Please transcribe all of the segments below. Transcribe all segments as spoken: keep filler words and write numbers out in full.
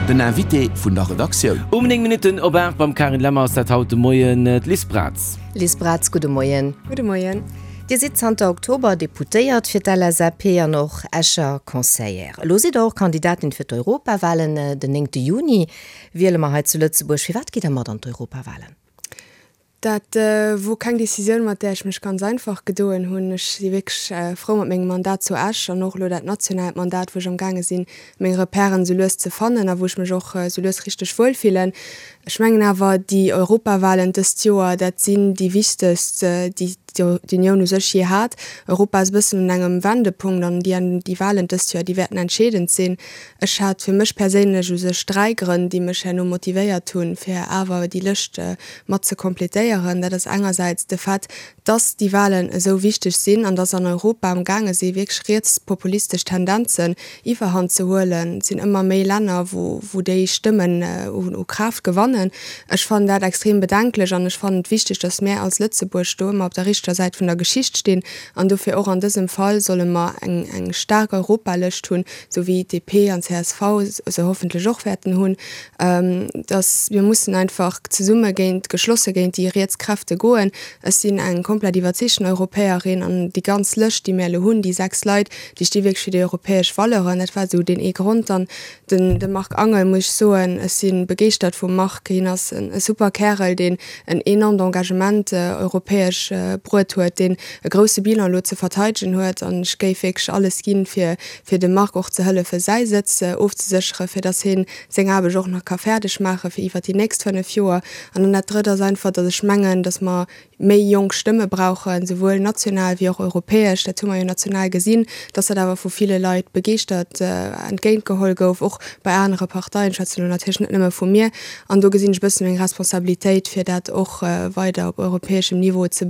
Den Invité vun der Redaktioun. Um néng Minutten op aacht beim Carine Lemmer ass dat haut de Moien d'Liz Braz. Liz Braz, gudde Moien. Gudde Moien. Dir sidd zanter Oktober Deputéiert fir d'LSAP an och Escher Conseillère. Elo sidd Der och Kandidatin fir d'Europawalen. Den néngte Juni wiele mer hei zu Lëtzebuerg. Firwat gitt Der mat an d'Europawalen? Dat wor keng Decisioun, mat där ech mech ganz einfach gedoen hunn. Ech si wierklech frou mat mengem Mandat zu Esch an och elo dat nationaalt Mandat, wou ech amgaange sinn, meng Repèren esou lues ze fannen a wou ech mech och esou lues richteg wuel fillen. Ech mengen awer, déi Europawahlen dëst Joer, dat sinn déi wichtegst, déi d'Unioun u sech jee hat. Europa ass e bëssen un engem Wendepunkt an déi déi Wahlen dëst Joer, déi wäerten entscheedend sinn. Ech hat fir mech perséinlech u sech dräi Grënn, déi mech herno motivéiert hunn, fir awer déi Lëscht mat ze completéieren. Dat ass engersäits de Fait, dass déi Wahlen esou wichteg sinn an dass an Europa am gaange si wierklech rietspopulistesch Tendenzen Iwwerhand ze huelen. Et sinn ëmmer méi Länner, wou wou déi Stëmmen u Kraaft gewannen. Ech fannen dat extrem bedenklech an ech fannen et wichteg, dass mär als Lëtzebuerg do ëmmer op der richteger Säit vun der Geschicht stinn. An dofir och an dësem Fall solle mer eng eng staark Europalëscht hunn, esou wéi D P an C S V se hoffentlech och wäerten hunn. Dass mir mussen einfach zesumme géint, geschlosse géint déi riets Kräfte goen. Ech sinn eng komplett iwwerzeegten Europäerin an déi ganz Lëscht, déi mir elo hunn, déi sechs Leit, déi sti wierklech fir déi europäesch Valeuren. Dat war esou deen ee Grond. Dann den de Marc Angel, muss ech soen, ech si begeeschtert vum Marc. Hien ass e super Kärel, deen en enormt Engagement europäesch bruet huet, deen e grousse Bilan elo ze verteidegen huet. An ech géif wierklech alles ginn, fir fir dem Marc och ze hëllefen, säi Sëtz ofzesécheren, fir datt hien seng Aarbecht och nach ka fäerdeg maachen, fir iwwert déi nächst fënnef Joer. An dann dat Drëtt ass einfach, datt ech mengen, datt mer méi jonk Stëmme brauchen, souwuel national wéi och europäesch. Dat hu mer jo national gesinn, datt dat awer vu ville Leit begeeschtert entgéintgeholl gouf, och bei anere Parteien, ech schwätzen elo natierlech net nëmme vu mir. An do gesinn ech e bësse meng Responsabilitéit, fir dat och weider op europäeschem Niveau ze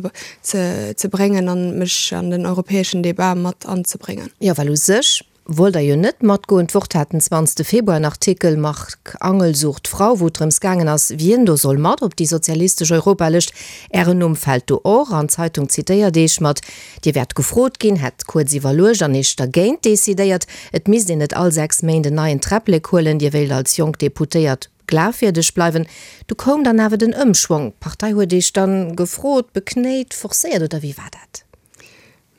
ze bréngen an mech an den europäeschen Debat mat anzebréngen. Jo, well u sech wollt Der jo net matgoen. D'Wort hat den zwanzegste Februar en Artikel Marc Angel sucht Frau, wou et drëms gaangen ass, wien do soll mat op déi sozialistesch Europalëscht. Ären Numm fält do och an d'Zeitung zitéiert Iech mat, Dir wäert gefrot ginn, hätt kuerz iwwerluecht an Iech dergéint decidéiert. Et misst een net all sechs Méint en neien Träpplek huelen, Dir wéilt als jonk Deputéiert glafwierdeg bleiwen. Du koum dann awer den Ëmschwong, d'Partei huet Iech dann gefrot, beknéit, forcéiert oder wéi war dat?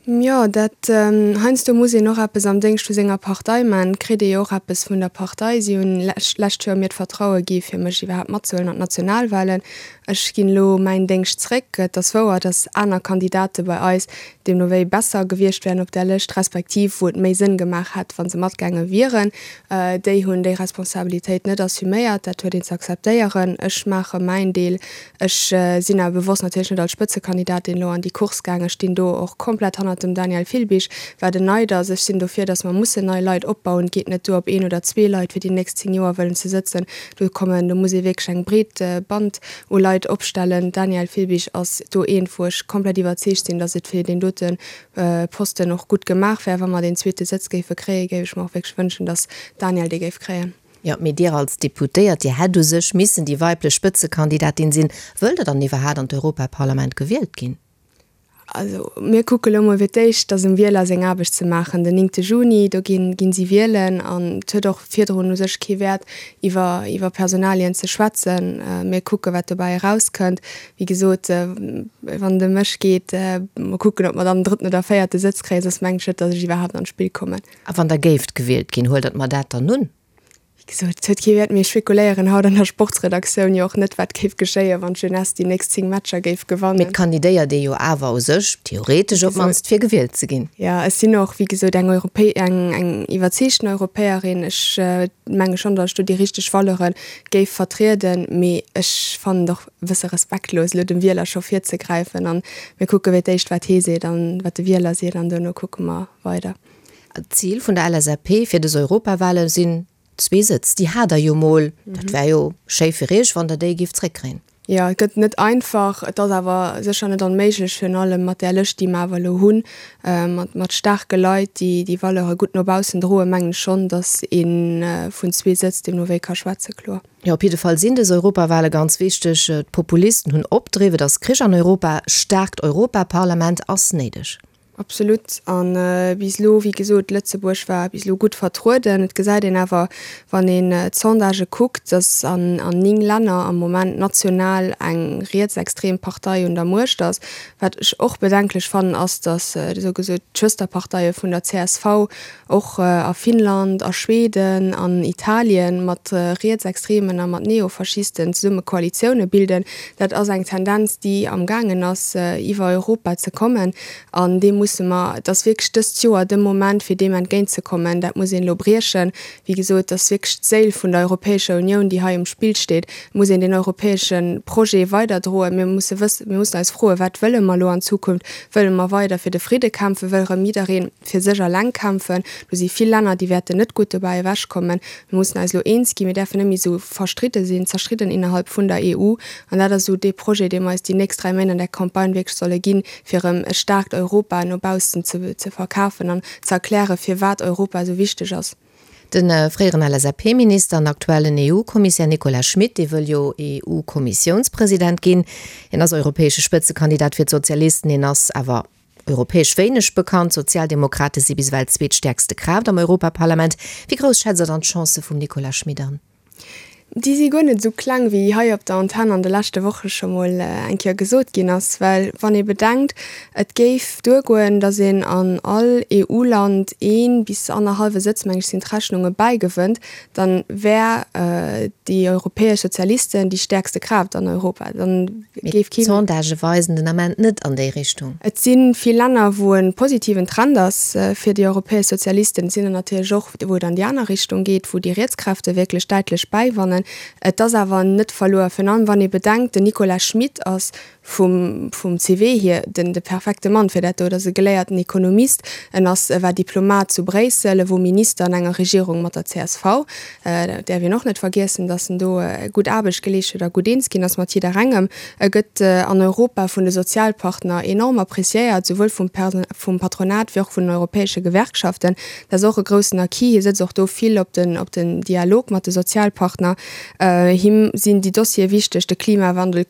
Jo, dat heiansdo muss een och eppes am Déngscht vu senger Partei man, kritt ee jo och eppes vun der Partei. Si hunn lescht Joer mir d'Vertraue gi fir mech iwwerhaapt matzehuelen an d'Nationalwahlen. Ech ginn elo mäin Déngscht zréck. Et ass wouer, datt aner Kandidate bei eis deemno wéi besser gewiescht wären op där Lëscht, respektiv wou et méi Sënn gemaach hätt, wa se matgaange wieren. Déi hunn déi Responsabilitéit net assuméiert. Dat huet een ze akzeptéieren. Ech maache mäin Deel. Ech sinn awer bewosst natierlech net als Spëtzekandidatin elo an déi Course gaangen. Ech stinn do och komplett hannert dem Daniel Filbig, wat en Neid ass. Ech sinn dofir, datt mer mussen nei Leit opbauen. Et geet net duer, op een oder zwee Leit fir déi nächst zéng Joer wëllen ze sëtzen. Do kommen, do muss ee wierklech eng breet Band u Leit opstellen. Daniel Filbig ass do eent, wou ech komplett iwwerzeegt sinn, datt et fir deen dote Posten och gutt gemaach wär. Wa mer deen zweete Sëtz géife kréien, géif ech mer och wierklech wënschen, datt Daniel dee géif kréien. Jo, mee Dir als Deputéiert, Dir hätt u sech missen déi weiblech Spëtzekandidatin sinn. Wëllt Der dann iwwerhaat an d'Europaparlament gewielt ginn? Also mir kucke lo mol fir d'éischt, dass um Wieler seng Aarbecht ze maachen. Den néngte Juni, do ginn, ginn si wielen an et huet och virdrun u sech kee Wäert iwwer, iwwer Personalien ze schwätzen. Mir kucke wat dobäi erauskënnt. Wéi gesot, wann et ëm mech geet, mol kucken, ob mer dann en drëtten oder véierte Sëtz kréien, soss mengen ech net, dass ech iwwerhaapt an d'Spill kommen. A wann Der géift gewielt ginn, huelt Der d'Mandat dann un? Wéi gesot, et huet kee Wäert, mir spekuléieren haut an der Sportsredaktioun jo och net, wat géif geschéien, wann d'Jeunesse déi nächst zéng Matcher géif gewannen. Mee et kandidéiert ee jo awer u sech, theoretesch op d'mannst, fir gewielt ze ginn. Jo, ech sinn och, wéi gesot, eng Europä-, eng, eng iwwerzeegten Europäerin. Ech menge schonn, datt ech do déi richteg Valeure géif vertrieden, mee ech fannen et och e bësse respektlos, elo dem Wieler scho virzegräifen. A mir kucke fir d'éischt, wat hee seet an wat de Wieler seet an duerno kucke mer weider. D'Zil vun der L S A P fir dës Europawale sinn zwee Sëtz. Déi hat Der jo mol. Dat wär jo schéi fir Iech, wann Der déi gift zréckkréien. Jo, et gëtt net einfach. Et ass awer sécher net onméiglech, virun allem mat där Lëscht, déi mer awer elo hunn, mat mat staarke Leit, déi déi Valeure gutt no baussen droen, mengen ech schonn, datt ee vun zwee Sëtz deemno wéi ka schwätzen, kloer. Jo, op jidde Fall sinn dës Europawale ganz wichteg. D'Populisten hunn Opdriff, et ass Krich an Europa, staarkt Europaparlament ass néideg. Absolut. An bis elo, wéi gesot, Lëtzebuerg war bis elo gutt vertrueden. Et gesäit een awer, wann een d'Sondagë kuckt, datt an an néng Länner am Moment national eng rietsextrem Partei un der Muecht ass. Wat ech och bedenklech fannen, ass, datt esou gesot d'Schwësterparteie vun der csv och a Finnland, a Schweden, an Italien mat Rietsextremen a mat Neofaschisten zesumme Koalitioune bilden. Dat ass eng Tendenz, déi amgaangen ass iwwer Europa ze kommen. An deem musse mer, et ass wierklech dëst Joer de Moment, fir deem entgéintzekommen. Dat muss een elo briechen. Wéi gesot, et ass wierklech d'Séil vun der Europäescher Unioun, déi hei um Spill steet. Et muss een deen europäesche Projet weiderdroen. Mir musse wëssen, mir mussen eis froen, Wat wëlle mer elo an Zukunft? Wëlle mer weider fir de Fridde kämpfen? Wëll erëm jidderee fir sech eleng kämpfen? Do si vill Länner, déi wäerten net gutt dobäi ewechkommen. Mir mussen eis elo eens ginn. Mir däerfen net méi esou verstridde sinn, zerstridden innerhalb vun der EU. An dat ass esou dee Projet, dee mer eis déi nächst dräi Méint an der Campagne wierklech solle ginn, fir erëm e staarkt Europa no baussen ze verkafen an ze erklären, firwat Europa esou wichteg ass. De fréieren LSAP-Minister an aktuellen EU-Kommissär Nicolas Schmit, dee wëll jo EU-Kommissiounspresident ginn. Hien ass europäesche Spëtzekandidat fir d'Sozialisten, hien ass awer europäesch wéineg bekannt. D'Sozialdemokrate si bis ewell d'zweetstäerkste Kraaft am Europaparlament. Wéi grouss schätzt Der dann d'Chancë vum Nicolas Schmit an? Déi si guer net esou kleng, wéi hei op der Antenn an de leschte Woche scho mol eng Kéier gesot ginn ass. Well wann ee bedenkt, et géif duergoen, datt een an all EU-Land ee bis annerhallwe Sëtz, meng ech sinn d'Rechnunge, bäigewënnt, da wär déi europäesch Sozialisten déi stäerkste Kraaft an Europa. Dann géif keen. D'Sondagë weisen den Ament net an déi Richtung. Et si vill Länner, wou e positiven Trend ass fir déi europäesch Sozialisten. Et sinn der natierlech och, wou et an déi aner Richtung geet, wou déi riets Kräfte wierklech däitlech bäiwannen. Et ass awer net verluer, virun allem wann ee bedenkt, den Nicolas Schmit ass vum vum CV hier den de perfekte Mann fir dat do. Et ass e geléierten Ekonomist, en ass e war Diplomat zu Bréissel, e wor Minister an enger Regierung mat der csv. Dat däerf een och net vergiessen, datt en do gutt Aarbecht geleescht huet a gutt eens ginn ass mat jidderengem. E gëtt an Europa vun de Sozialpartner enorm appreciéiert, souwuel vum vum Patronat wéi och vun den europäesche Gewerkschaften. Dat ass och e groussen Acquis. Hie sëtzt och do vill op den op den Dialog mat de Sozialpartner. Him sinn déi Dossiere wichteg, de Klimawandel,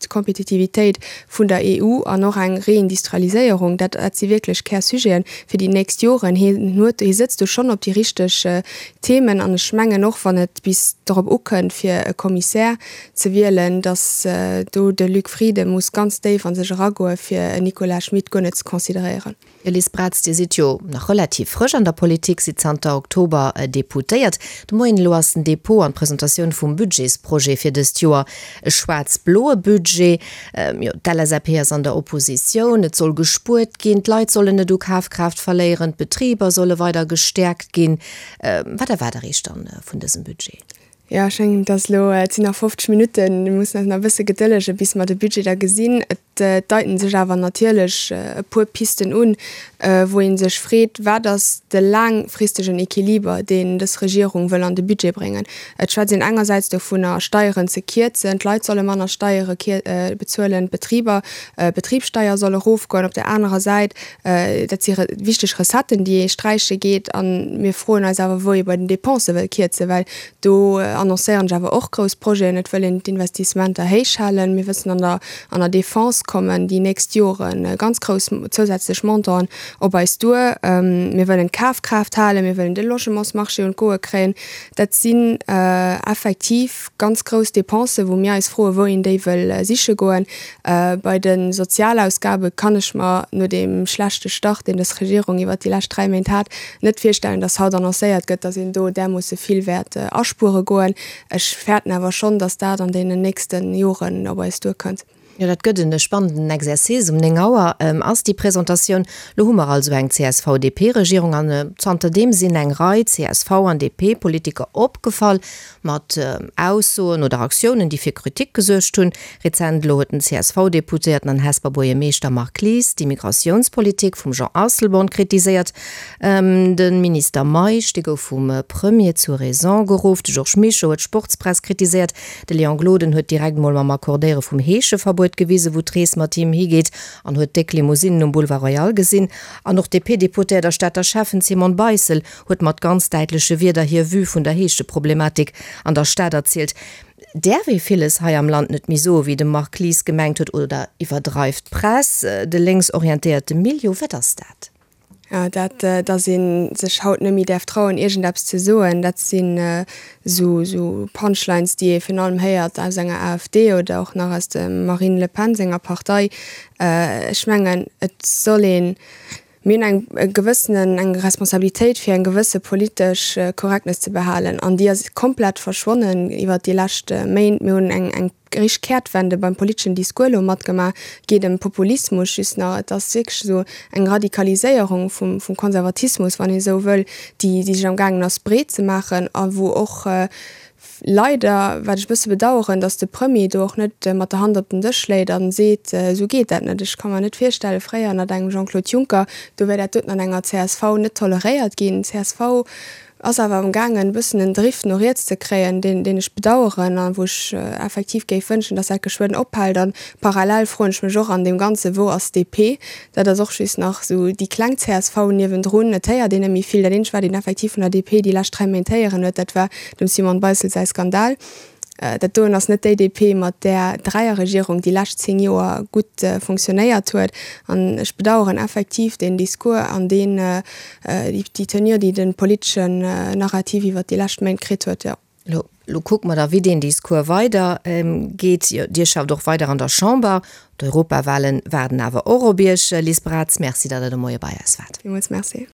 d'Kompetitivitéit vun der EU an och eng Reindustrialiséierung. Dat dat si wierklech Kärsujeten fir déi nächst Joren. Hien huet, hie sëtzt do schonn op déi richteg Themen an ech mengen och, wann et bis dorop ukënnt, fir e Kommissär ze wielen, datt do de Luc Frieden muss ganz déif a sech eragoe fir en Nicolas Schmit guer net ze consideréieren. Jo, Liz Braz, Dir sidd jo nach relativ frësch an der Politik, sidd zanter Oktober Deputéiert. De Moien elo ass den Depot an d'Presentatioun vum Budgetsprojet fir dëst Joer. E schwaarz-bloe Budget. Jo, d'LSAP ass an der Oppositioun, et soll gespuert ginn, d'Leit sollen net u Kafkraaft verléieren, d'Betriber solle weider gestäerkt ginn. Wat erwaart Der Iech dann vun dësem Budget? Jo, ech mengen, et ass elo, et sinn nach fofzeg Minutten, mir mussen eis nach e bësse gedëllegen, bis mer de Budget da gesinn. Et deiten sech awer natierlech e puer Pisten un, wou ee sech freet, Wat ass de laangfristegen Equiliber, deen dës Regierung wëll an de Budget bréngen? Et schwätzt een engersäits dovunner, Steieren ze kierzen, d'Leit solle manner Steiere bezuelen, d'Betriber, d'Betribssteier soll erofgoen. Op där anerer Säit, dat si wichteg Recetten, déi ee sträiche geet. A mir froen eis awer, wou ee bei den Depensë wëll kierzen, well do annoncéieren sech awer och grouss Projeten. Et wëll een d'Investissementer héich halen. Mir wëssen, an der an der Defense kommen déi nächst Jore ganz grouss zousätzlech Montanten op eis duer. Mir wëllen d'Kafkraaft halen, mir wëllen de Logementsmarché un d'Goe kréien. Dat sinn effektiv ganz grouss Dépensen, wou mir eis froen, wou een déi wëll siche goen. Bei de Sozialausgabe kann ech mer no deem schlechte Start, deen dës Regierung iwwert déi lescht dräi Méint hat, net virstellen, dass haut annoncéiert gëtt, dass een do därmoosse vill wäert aspuere goen. Ech fäerten awer schonn, dass dat an deenen nächste Joren op eis duerkënnt. Jo, dat gëtt en spannenden Exercice. Um néng Auer ass déi Presentatioun. Lo hu mer also eng CSV-DP-Regierung an zanterdeem sinn eng Rei csv an DP-Politiker opgefall mat Aussoen oder Aktiounen, déi fir Kritik gesuergt hunn. Rezent elo huet den CSV-Deputéierten an Hesper Buergermeeschter Marc Lies d'Immigratiounspolitik vum Jean Asselborn kritiséiert. De Minister Meisch, dee gouf vum Premier zur Raison geruff. De Georges Mischo huet d'Sportspress kritiséiert. De Léon Gloden huet direkt mol mam Accordéiere vum Heescheverbuet gewisen, wou d'Rees mat him higeet an huet déck Limousinnen um Boulevard Royal gesinn. An och d'DP-Deputéiert a Stater Schäffen Simone Beissel huet mat ganz däitleche Wierder hir Vue vun der Heescheproblematik an der Stad erzielt. Däerf ee villes hei am Land net méi soen, wéi de Marc Lies gemengt huet, oder iwwerdreift d'Press de lénksorientéierte Milieu? Wat ass dat? Jo, dat, datt ee sech haut net méi däerf trauen, iergendeppes ze soen, dat sinn esou Punchlines, déi ee virun allem héiert aus enger AfD oder och nach aus dem Marine Le Pen senger Partei. Ech mengen, et soll een, mir hunn eng gewëssenen, eng Responsabilitéit, fir eng gewësse politesch Correctness ze behalen, an déi ass komplett verschwonnen iwwert déi lescht Méint. Mir hunn eng, eng richteg Kehrtwende beim politeschen Discours elo matgemaach, et geet ëm Populismus just nach, et ass wierklech esou eng Radikaliséierung vum vum Konservatismus, wann ee esou wëll, déi déi sech am gaangen ass breet ze maachen a wou och leider, wat ech e bësse bedaueren, datt de Premier do och net mat der Hand op den Dësch schléit a seet, esou geet dat net. Ech ka mer net virstellen, fréier ënnert engem Jean-Claude Juncker, do wär dat doten an enger csv net toleréiert ginn. Csv ass awer am gaangen e bëssen en Drift no riets ze kréien, deen deen ech bedaueren a wou ech effektiv géif wënschen, datt dat geschwënn ophält. A parallel froen ech mech och an deem Ganze, wou ass d'DP? Dat ass och just nach esou déi kleng csv niewendrun. Et héiert een net méi vill. Dat eenzegt, wat een effektiv vun der DP déi lescht dräi Méint héieren huet, dat war dem Simone Beissel säi Skandal. Dat doen ass net déi DP, mat där d'Dräierregierung déi lescht zéng Joer gutt fonctionnéiert huet. An ech bedaueren effektiv deen Discours an deen, déi Tenure, déi de politeschen Narrativ iwwert déi lescht Méint kritt huet, jo. Elo, elo kucke mer da, wéi deen Discours weider geet. Jo, Dir schafft och weider an der Chamber. D'Europawahlen waarden awer och op Iech. Liz Braz, Merci, datt Der de Moie bei eis waart. Villmools Merci.